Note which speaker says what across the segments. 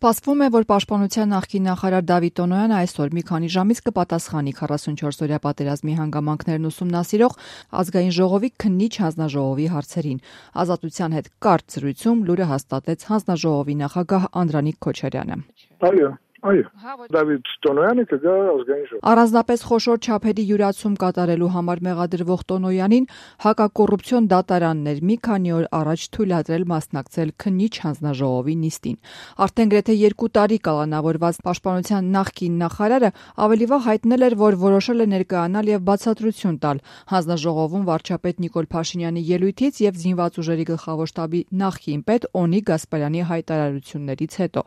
Speaker 1: Սպասվում է, որ Պաշտպանության նախկին նախարար Դավիթ Տոնոյանը այսօր մի քանի ժամից կպատասխանի 44-օրյա պատերազմի հանգամանքներն ուսումնասիրող ազգային ժողովի քննիչ հանձնաժողովի հարցերին։ Ազատության հետ կարճ զրույցում լուրը հաստատեց հանձնաժողովի նախագահ Անդրանիկ Քոչարյանը։
Speaker 2: Այո, Դավիթ Տոնոյանը կգա ազգային ժողով։
Speaker 1: Առանձնապես խոշոր չափերի յուրացում կատարելու համար մեղադրվող Տոնոյանին հակակոռուպցիոն դատարաններ մի քանի օր առաջ թույլատրել մասնակցել քննիչ հանձնաժողովի նիստին։ Արդեն գրեթե 2 տարի կալանավորված Պաշտպանության նախկին նախարարը ավելի վաղ հայտնել էր, որ որոշել է ներկայանալ եւ բացատրություն տալ հանձնաժողովում վարչապետ Նիկոլ Փաշինյանի ելույթից եւ զինված ուժերի գլխավոր շտաբի նախկին պետ Օնիկ Գասպարյանի հայտարարություններից հետո։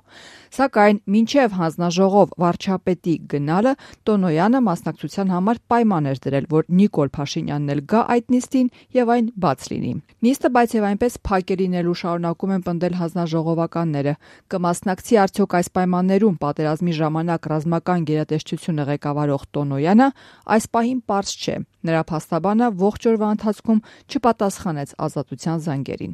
Speaker 1: Սակայն մինչեւ հանձնաժողով վարչապետի գնալը Տոնոյանը մասնակցության համար պայման էր դրել, որ Նիկոլ Փաշինյանն էլ գա այդ նիստին եւ այն բաց լինի։ Նիստը բայց եւ այնպես փակ է լինելու շարունակում են պնդել հանձնաժողովականները։ Կմասնակցի արդյոք այս պայմաններում պատերազմի ժամանակ ռազմական գերատեսչությունը ղեկավարող Տոնոյանը, այս պահին պարզ չէ։ Նրա փաստաբանը ողջ օրվա ընթացքում չպատասխանեց Ազատության զանգերին։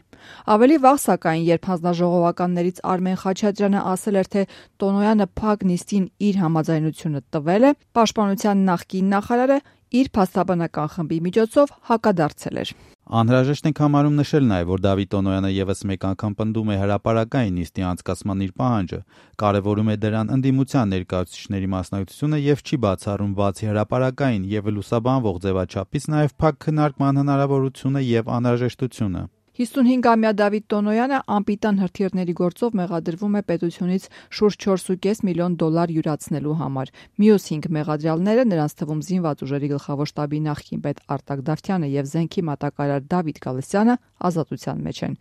Speaker 1: Ավելի վաղ, սակայն, երբ հանձնաժողովականներից Արմեն Խաչատրյանը ասել էր, թե Տոնոյանը փակ նիստին իր համաձայնությունը տվել է, Պաշտպանության նախկին նախարարը իր փաստաբանական խմբի միջոցով հակադարձել էր։
Speaker 3: Անհրաժեշտ ենք համարում նշել նաև, որ Դավիթ Տոնոյանը եւս մեկ անգամ պնդում է հրապարակային նիստի անցկացման իր պահանջը, կարևորում է դրան ընդդիմության ներկայացուցիչների մասնակցությունը եւ չի բացառում բացի հրապարակային եւ լուսաբանվող ձևաչափից նաև փակ քննարկման հնարավորությունը եւ անհրաժեշտությունը։
Speaker 1: 55-ամյա Դավիթ Տոնոյանը անպիտան հրթիռների գործով մեղադրվում է պետությունից շուրջ 4.5 միլիոն դոլար յուրացնելու համար։ Մյուս 5 մեղադրյալները, նրանց թվում զինված ուժերի գլխավոր շտաբի նախկին պետ Արտակ Դավթյանը եւ Զենքի մատակարար Դավիթ Գալստյանը ազատության մեջ են։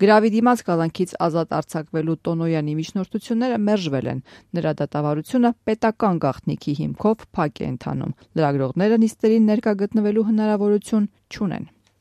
Speaker 1: Գրավի դիմաց կալանքից ազատ արձակվելու Տոնոյանի միջնորդությունները մերժվել են։ Նրա դատավարությունը պետական գաղտնիքի հիմքով փակ է ընթանում։ Լրագրողները նիստերին ներկա գտնվելու հնարավորություն չունեն։